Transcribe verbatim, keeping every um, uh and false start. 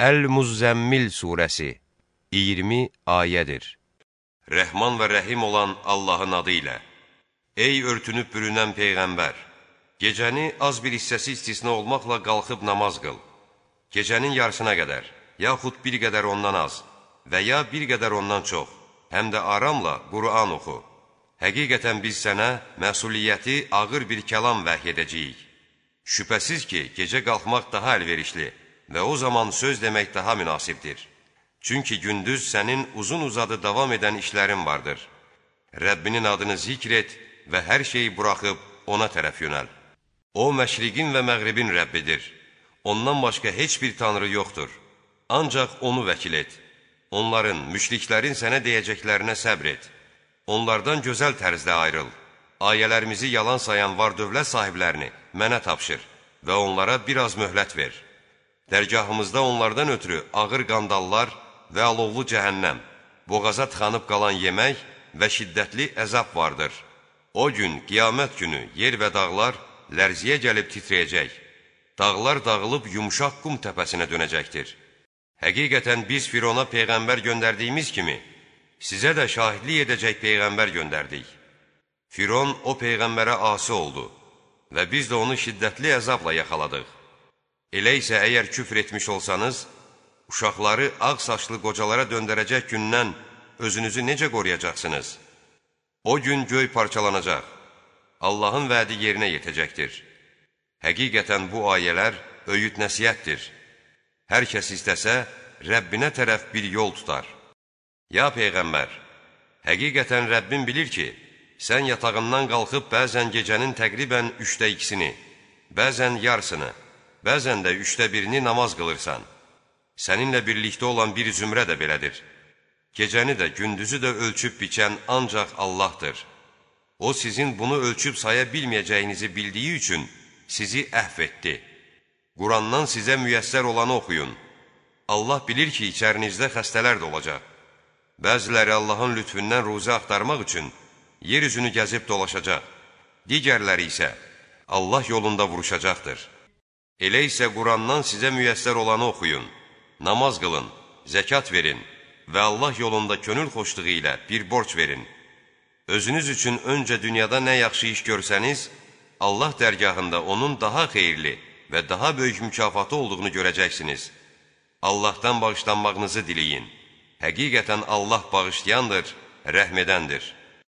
Əl-Muzzəmmil surəsi iyirmi ayədir. Rəhman və rəhim olan Allahın adı ilə. Ey örtünüb bürünən Peyğəmbər! Gecəni az bir hissəsi istisna olmaqla qalxıb namaz qıl. Gecənin yarısına qədər, yaxud bir qədər ondan az və ya bir qədər ondan çox, həm də aramla Qur'an oxu. Həqiqətən biz sənə məsuliyyəti ağır bir kəlam vəhy edəcəyik. Şübhəsiz ki, gecə qalxmaq daha əlverişli və o zaman söz demək daha münasibdir. Çünki gündüz sənin uzun uzadı davam edən işlərin vardır. Rəbbinin adını zikr et və hər şeyi buraxıb ona tərəf yönəl. O, məşriqin və məğribin Rəbbidir. Ondan başqa heç bir tanrı yoxdur. Ancaq onu vəkil et. Onların, müşriklərin sənə deyəcəklərinə səbr et. Onlardan gözəl tərzdə ayrıl. Ayələrimizi yalan sayan var-dövlət sahiblərini mənə tapşır və onlara biraz möhlət ver. Dərgahımızda onlardan ötürü ağır qandallar və alovlu cəhənnəm, boğaza tıxanıb qalan yemək və şiddətli əzab vardır. O gün, qiyamət günü, yer və dağlar lərziyə gəlib titrəyəcək. Dağlar dağılıb yumuşaq qum təpəsinə dönəcəkdir. Həqiqətən biz Firona Peyğəmbər göndərdiyimiz kimi, sizə də şahidlik edəcək Peyğəmbər göndərdik. Firon o Peyğəmbərə asi oldu və biz də onu şiddətli əzabla yaxaladıq. Elə isə əgər küfr etmiş olsanız, uşaqları ağ saçlı qocalara döndərəcək gündən özünüzü necə qoruyacaqsınız? O gün göy parçalanacaq, Allahın vədi yerinə yetəcəkdir. Həqiqətən bu ayələr öyüd nəsihətdir. Hər kəs istəsə, Rəbbinə tərəf bir yol tutar. Ya Peyğəmbər, həqiqətən Rəbbin bilir ki, sən yatağından qalxıb bəzən gecənin təqribən üçdə ikisini, bəzən yarısını, bəzən də üçdə birini namaz qılırsan. Səninlə birlikdə olan bir zümrə də belədir. Gecəni də, gündüzü də ölçüb biçən ancaq Allahdır. O, sizin bunu ölçüb saya bilməyəcəyinizi bildiyi üçün sizi əhv etdi. Qurandan sizə müyəssər olanı oxuyun. Allah bilir ki, içərinizdə xəstələr də olacaq. Bəziləri Allahın lütfündən ruzi axtarmaq üçün yer üzünü gəzib dolaşacaq. Digərləri isə Allah yolunda vuruşacaqdır. Elə isə Qurandan sizə müyəssər olanı oxuyun, namaz qılın, zəkat verin və Allah yolunda könül xoşluğu ilə bir borc verin. Özünüz üçün öncə dünyada nə yaxşı iş görsəniz, Allah dərgahında onun daha xeyirli və daha böyük mükafatı olduğunu görəcəksiniz. Allahdan bağışlanmağınızı diləyin. Həqiqətən Allah bağışlayandır, rəhm edəndir.